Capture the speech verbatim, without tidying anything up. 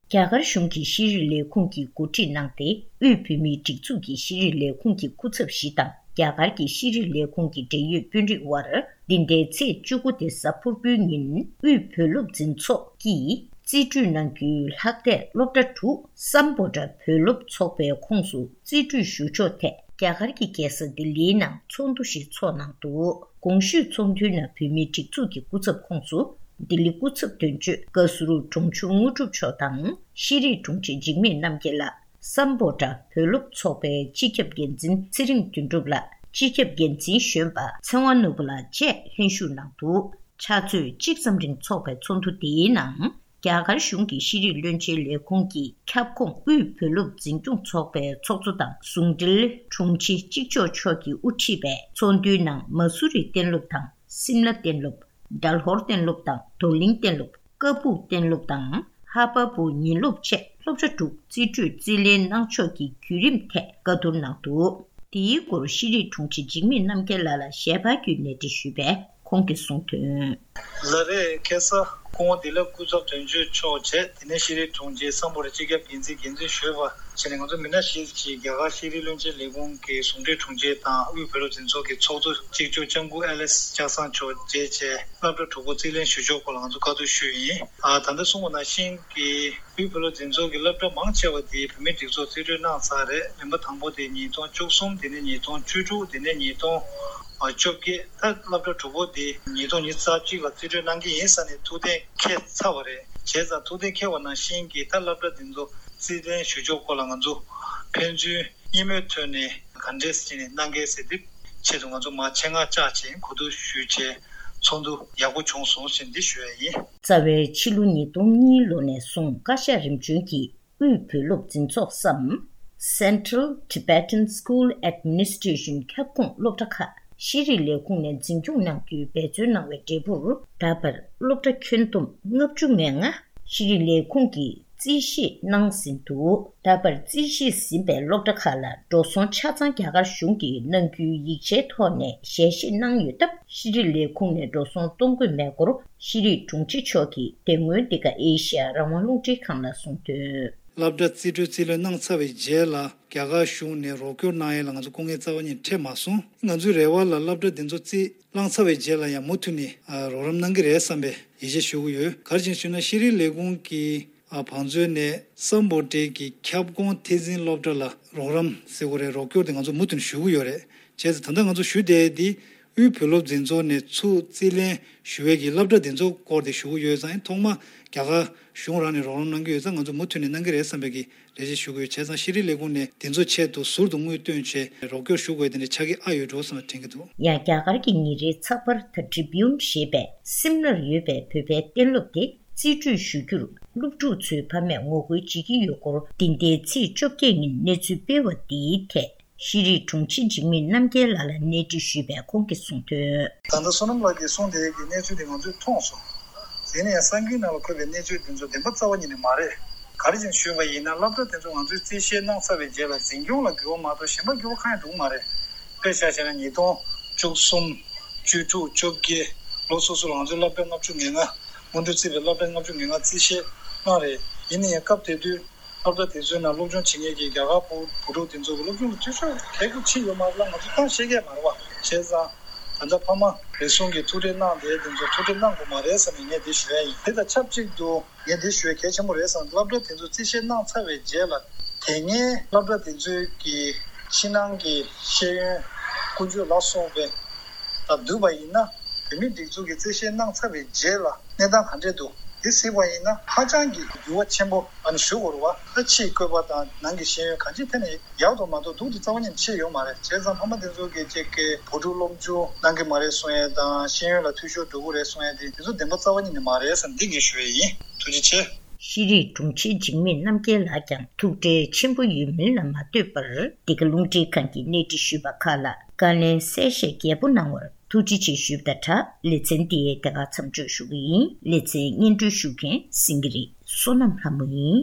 རྒྱ་གར་གཞུང་གི་ཤེས་རིག་ལས་ཁུངས་ཀྱིས་གོ་སྒྲིག་གནང་སྟེ། དབུས་བོད་མིའི་སྒྲིག་འཛུགས་ཀྱི་ཤེས་རིག་ལས་ཁུངས་ཀྱི་སྐུ་ཚབ་བཞི་དང་རྒྱ་གར་གྱི་ཤེས་རིག་ལས་ཁུངས་ཀྱི་འབྲེལ་ཡོད་དཔོན་རིགས་དབར། འདི་ཟླའི་ཚེས་བཅུ་དགུ་སྟེ་གཟའ་ཕུར་བུའི་ཉིན། དབུས་བོད་སློབ་འཛིན་ཚོགས་ཀྱིས་རྩིས་སྤྲོད་གནང་རྒྱུའི་ལྷག་བསྡད་སློབ་གྲྭ་དྲུག་སམ་བྷོ་ཊ་བོད་སློབ་ཚོགས་པའི་ཁོངས་སུ་རྩིས་སྤྲོད་ཞུ་ཕྱོགས་ཐད། རྒྱ་གར་གྱི་རྒྱལ་ས་ལྡི་ལིའི་ནང་ཚོགས་འདུ་ཞིག་འཚོགས་གནང་འདུག་གོང་ཞུས་ཚོགས་འདུའི་ནང་བོད་མིའི་སྒྲིག་འཛུགས་ཀྱི་སྐུ་ཚབ་ཁོངས་སུ། ལྡི་ལི་སྐུ་ཚབ་དོན་གཅོད་བཀའ་ཟུར་དྲུང་ཆུ་དངོས་གྲུབ་མཆོག་དང་། ཤེས་རིག་དྲུང་ཆེ་འཇིགས་མེད་རྣམ་རྒྱལ་ལགས། སམ་བྷོ་ཊ་བོད་སློབ་ཚོགས་པའི་སྤྱི་ཁྱབ་འགན་འཛིན་ཚེ་རིང་དོན་གྲུབ་ལགས། སྤྱི་ཁྱབ་འགན་འཛིན་གཞོན་པ་ཚེ་དབང་ནོར་བུ་ལགས་བཅས་ལྷན་ཞུགས་གནང་འདུག་ཕྱག་ཚོད་གཅིག་ཙམ་རིང་འཚོགས་པའི་ཚོགས་འདུ་དེའི་ནང་། རྒྱ་གར་གཞུང་གི་ཤེས་རིག་བློན་ཆེན་ལས་ཁུངས་ཀྱི་ཁྱབ་ཁོངས་དབུས་བོད་སློབ་འཛིན་སྐྱོང་ཚོགས་པའི་ཚོགས་གཙོ་དང་ཟུང་འབྲེལ་དྲུང་ཆེ་གཅིག་ལྕོགས་མཆོག་གིས་དབུ་ཁྲིད་པའི་ཚོགས་འདུའི་ནང་། མ་སུ་རི་གཏན་སློབ་དང་སིམ་ལ་གཏན་སློབ། སྦྲ་ལྷོར་གཏན་སློབ་དང་རྡོར་གླིང་གཏན་སློབ། ཀ་སྦུག་གཏན་སློབ་དང་ཧ་པ་བུ་ཉིན་སློབ་བཅས་སློབ་གྲྭ་དྲུག་རྩིས་སྤྲོད་རྩིས་ལེན་གནང་ཕྱོགས་ཀྱི་བརྒྱུད་རིམ་ཐད་བཀའ་བསྡུར་གནང་འདུག་དེའི་སྐོར་ཤེས་རིག་དྲུང་ཆེ་འཇིགས་མེད་རྣམ་རྒྱལ་ལགས་ལ་ཞལ་པར་བརྒྱུད་གནས་འདྲི་ཞུས་པས། ཁོང་གིས་གསུངས་དོན། ལགས་རེད། ཁ་སང་སྐུ་ངོ་བདེ་ལེགས་སྐུ་ཚབ་དོན་གཅོད་མཆོག་བྱས། དེ་ནས་ཤེས་རིག་དྲུང་ཆེ་སམ་བྷོ་ཊ་སྤྱི་ཁྱབ་འགན་འཛིན་འགན་འཛིན་ཞུས་པ་བྱས་ནས། ང་ཚོ་མི་སྣ་བཞི་ཅིག་རྒྱ་གར་ཤེས་རིག་བློན་ཆེན་ལས་ཁུངས་ཀྱི་ཟུང་འབྲེལ་དྲུང་ཆེ་དང་དབུས་བོད་སློབ་འཛིན་ཚོགས་ཀྱི་ཚོགས་གཙོ་གཅིག་ལྕོགས་ལྕམ་སྐུ་ཨེ་ལིས་ལྕགས་ཚང་མཆོག་མཇལ་བྱས། སློབ་གྲྭ་དྲུག་པོ་རྩིས་ལེན་ཞུ་ཕྱོགས་སྐོར་ལ་ང་ཚོ་བཀའ་བསྡུར་ཞུས་ཡིན། ཨ། ད་ལྟ་གསུངས་པ་ནང་བཞིན་གྱི་དབུས་བོད་སློབ་འཛིན་ཚོགས་ཀྱི་སློབ་གྲྭ་མང་ཆེ་བ་དེ་བོད་མིའི་སྒྲིག་འཛུགས་རྩིས་སྤྲོད་གནང་ཚར་རེད། རིམ་པ་དང་པོ་དེ་ཉིས་སྟོང་བཅུ་གསུམ། དེ་ནས་ཉིས་སྟོང་བཅུ་དྲུག་དེ་ནས་ཉིས་སྟོང་བཅོ་བརྒྱད། ད་སློབ་གྲྭ་དྲུག་པོ་དེ་ཉིས་སྟོང་ཉི་ཤུ་རྩ་གཅིག་ལ་རྩིས་སྤྲོད་གནང་གི་ཡིན་ཟེར་ནས་ཐུགས་གཏན་འཁེལ་ཚར་བ་རེད། བྱས་ཙང་ཐུགས་གཏན་འཁེལ་བ་ནང་བཞིན་གྱི་ད་སློབ་གྲྭ་དེ་ཚོ་རྩིས་ལེན་ཞུ་ཕྱོགས་སྐོར་ལ་ང་ཚོ་ཕན་ཚུན་མཉམ་ལས་ཐོག་ནས་ག་འདྲས་བྱས་ནས་གནང་གལ་ཟེར་དེ་ཆེད་དུ་ང་ཚོ་མར་ཆེད་མངགས་བཅར་བྱས་གོ་བསྡུར་ཞུས་བྱས་ཚོགས་འདུ་ཡག་པོ་བྱུང་སོང་ཟེར་འདི་ཞུ་ཡ་ཡིན། རྩ་བའི་ཕྱི་ལོ་ཉིས་སྟོང་གཉིས་ལོ་ནས་བཟུང་བཀའ་ཤག་རིམ་བྱོན་གྱིས་དབུས་བོད་སློབ་འཛིན་ཚོགས་སམ། Central Tibetan School Administration ཁྱབ་ཁོངས་སློབ་གྲྭ་ཁག་ཤེས་རིག་ལས་ཁུངས་ནས་འཛིན་སྐྱོང་གནང་རྒྱུའི་འབད་བརྩོན་གནང་བའི་འབྲས་བུར། ད་བར་སློབ་གྲྭ་ཁྱོན་བསྡོམས་ལྔ་བཅུ་ང་ལྔ་ཤེས་རིག་ལས་ཁུངས་ཀྱིས་རྩིས་ཞིབ་གནང་ཟིན་འདུག་ད་བར་རྩིས་ཞིབ་ཟིན་པའི་སློབ་གྲྭ་ཁག་ལ་འགྲོ་སོང་ཆ་ཚང་རྒྱ་གར་གཞུང་གིས་གནང་རྒྱུའི་ཡིག་ཆའི་ཐོག་ནས་ཞལ་བཞེས་གནང་ཡོད་སྟབས། ཤེས་རིག་ལས་ཁུངས་ནས་འགྲོ་སོང་གཏོང་དགོས་མེད་སྐོར་ཤེས་རིག་དྲུང་ཆེ་མཆོག་གིས་དེ་སྔོན་འདི་ག་ཨེ་ཤི་ཡ་རང་དབང་རླུང་འཕྲིན་ཁང་ལ་གསུངས་དོན། སློབ་གྲྭ་རྩིས་སྤྲོད་རྩིས་ལེན་གནང་ཚར་བའི་རྗེས་ལ་རྒྱ་གར་གཞུང་ནས་རོགས་སྐྱོར་གནང་ཡས་ལ་ང་ཚོ་སྐུ་ངལ་རྩ་བ་ཉིད་འཕྲད་མ་སོང་། ང་ཚོའི་རེ་བ་ལ་སློབ་གྲྭ་འདི་ཚོ་རྩིས་བླངས་ཚར་བའི་རྗེས་ལ་ཡང་མུ་མཐུད་ནས་ཨ་རོགས་རམ་གནང་གི་རེད་བསམ་པའི་ཡིད་ཆེས་ཞུ་གི་ཡོད། ག་རེ་བྱས་ཞུས་ན་ཤེས་རིག་ལས་ཁུངས་ཀྱི་ཨ་བང་མཛོད་ནས་སམ་བྷོ་ཊའི་གི་ཁྱབ་ཁོངས་ཐད་འཛིན་སློབ་གྲྭ་ལ་རོགས་རམ་ཟེར་དགོས་རེད། རོགས་སྐྱོར་དེ་ང་ཚོ་མུ་མཐུད་ནས་ཞུ་གི་ཡོད་རེད། བྱས་ཙང་ད་ལྟ་ང་ཚོ་ཞུ་བསྡད་དེ་དབུས་བོད་སློབ་འཛིན་ཚོགས་ནས་ཚུར་རྩིས་ལེན་ཞུ་བའི་གི་སློབ་གྲྭ་དེ་ཚོ་སྐོར་དེ་ཞུ་གི་ཡོད་ཙང་། ཐོག་མ་རྒྱ་གར་གཞུང་རང་ནས་རོགས་རམ་གནང་གི་ཡོད་ཙང་། ང་ཚོ་མུ་མཐུད་ནས་གནང་གི་རེད་བསམ་པའི་གི་ལས་བྱེད་ཞུ་དགོས་ཡོད། བྱས་ཙང་ཤེས་རིག་ལས་ཁུངས་ནས་དེ་ཚོ་ཆེད་དུ་ཟུར་དུ་དངུལ་བཏོན་བྱས་རོགས་སྐྱོར་ཞུ་དགོས་དེ་འདྲ་ཆགས་ཀྱི་ཨ་ཡོད་འགྲོ་བསམ་པ་དྲན་གྱི་འདུག་ཡང་རྒྱ་གར་གྱི་ཉིན་རེའི་ཚགས་པར་The Tribune ཞེས་པས་སིམ་ལར་ཡོད་པའི་བོད་པའི་གཏན་སློབ་དེ་རྩིས་སྤྲོད་ཞུ་རྒྱུར་སློབ་ཕྲུག་ཚོའི་ཕ་མས་ངོ་རྒོལ་བྱེད་ཀྱི་ཡོད་སྐོར། འདི་ཟླའི་ཚེས་བཅོ་བརྒྱད་ཉིན་གནས་ཚུལ་སྤེལ་བ་འདིའི་ཐད་ཤེས་རིག་དྲུང་ཆེ་འཇིགས་མེད་རྣམ་རྒྱལ་ལགས་ལ་གནས་འདྲི་ཞུས་པས་ཁོང་གིས་གསུངས་དོན། ད་ལྟ་བསོད་ནམས་ལགས་ཀྱིས་གསུངས་དེ་གི་གནས་ཚུལ་དེ་ང་ཚོས་མཐོང་སོང་། དེ་ནས་ཡང་གསར་འགྱུར་ནང་ལ་འཁོད་པའི་གནས་ཚུལ་དེ་ཚོ་བདེན་པ་རྩ་བ་ཉིད་ནས་མ་རེད། ག་རེ་བྱས་ནས་ཞུས་པ་ཡིན་ན། སློབ་གྲྭ་དེ་ཚོ་ང་ཚོས་རྩིས་བཤེར་གནང་ཚར་བའི་རྗེས་ལ་འཛིན་སྐྱོང་ལ་འགྱུར་བ་མ་གཏོགས་གཞན་པ་འགྱུར་བ་གང་ཡང་འགྲོ་གི་མ་རེད། དཔེ་བཞག་བྱས་ན་ཉིས་སྟོང་བཅུ་གསུམ། བཅུ་དྲུག་བཅོ་བརྒྱད། ལོ་སོ་སོ་ལ་ང་ཚོའི་སློབ་གྲྭ་ལྔ་བཅུ་ང་ལྔ། སྔོན་འགྲོ་རྩིས་པའི་སློབ་གྲྭ་ལྔ་བཅུ་ང་ལྔ་རྩིས་བཤེར་གནང་རེད། ཡིན་ན་ཡང་སྐབས་དེ་དུས་སློབ་གྲྭ་དེ་ཚོའི་ནང་སློབ་སྦྱོང་བྱེད་མཁན་གྱི་རྒྱ་གར་བུ་བུ་ཕྲུག་དེ་ཚོ་གི་སློབ་སྦྱོང་ལ་བརྩི་འཇོག་གལ་ཆེ་ཡོད་མ་རེད་ལ། ང་ཚོ་གཏན་ནས་བཤད་ཀྱི་མ་རེད་བ། བྱས་ཙང་ད་ལྟ་ཕ་མ་རེ་ཟུང་གིས་ཐུགས་ཁྲལ་གནང་བསྡད་དེ་ཚོ་ཐུགས་ཁྲལ་གནང་དགོས་མ་རེད་བསམ་ནས་ངས་འདི་ཞུ་ཡ་ཡིན། དེ་དང་ཆབས་ཅིག་ཏུ་ངས་འདི་ཞུ་ཡ་གལ་ཆེན་པོ་རེད་བསམ། སློབ་གྲྭ་དེ་ཚོ་རྩིས་བཤེར་གནང་ཚར་བའི་རྗེས་ལ། དེ་སྔའི་སློབ་གྲྭ་དེ་ཚོའི་གི་ཕྱི་ནང་གི་ཤེས་ཡོན་ཀུན་སྤྱོད་ལ་སོགས་པའི་དང་བསྡུར་བ་ཡིན་ན། བོད་མིའི་སྒྲིག་འཛུགས་ཀྱི་རྩིས་བཤེར་གནང་ཚར་བའི་རྗེས་ལ་གནས་སྟངས་ག་འདྲས་འདུག་འདི་གཟིགས་པ་ཡིན་ན་ཧ་ཅང་གི་འགྱུར་བ་ཆེན་པོ་ཨ་ནི་ཞུ་དགོས་རེད་བ། ད་ཕྱིའི་བཀོད་པ་དང་ནང་གི་ཤེས་ཡོན་གང་ཅིའི་ཐད་ནས་ཡག་ཏུ་མ་གཏོགས་སྡུག་ཏུ་རྩ་བ་ཉིད་ནས་ཕྱིན་ཡོད་མ་རེད། བྱས་ཙང་ཕ་མ་དེ་ཚོ་གིས་ཅིག་གི་བུ་ཕྲུག་སློབ་སྦྱོང་གནང་གི་མ་རེད་གསུང་ཡས་དང་། ཤེས་ཡོན་ལ་འཐུས་ཤོར་འགྲོ་གི་རེད་གསུང་ཡས་དེ་དེ་ཚོ་བདེན་པ་རྩ་བ་ཉིད་ནས་མ་རེད་བསམ། འདི་ངས་ཞུ་ཡས་ཡིན། ཐུགས་རྗེ་ཆེ། ཤེས་རིག་དྲུང་ཆེ་འཇིགས་མེད་རྣམ་རྒྱལ་ལགས་ཀྱང་ཐུགས་ཁྲལ་ཆེན་པོ་ཡོད་མིན་ལ་མ་ལྟོས་པར། འདི་ག་རླུང་འཕྲིན་ཁང་གིས་གནས་འདྲི་ཞུས་པ་ཁག་ལ་བཀའ་ལན་གསལ་བཤད་རྒྱས་པོ་གནང་བར་ཐུགས་རྗེ་ཆེ་ཞུས་པ་དང་སྦྲགས། ལེ་ཚན་འདི་དེ་ག་མཚམས་གཅོད་ཞུ་གི་ཡིན། ལེ་ཚན་སྙན་སྒྲོན་ཞུ་མཁན་སེང་གེ་རི་བསོད་ནམས་ལྷ་མོ་ཡིན།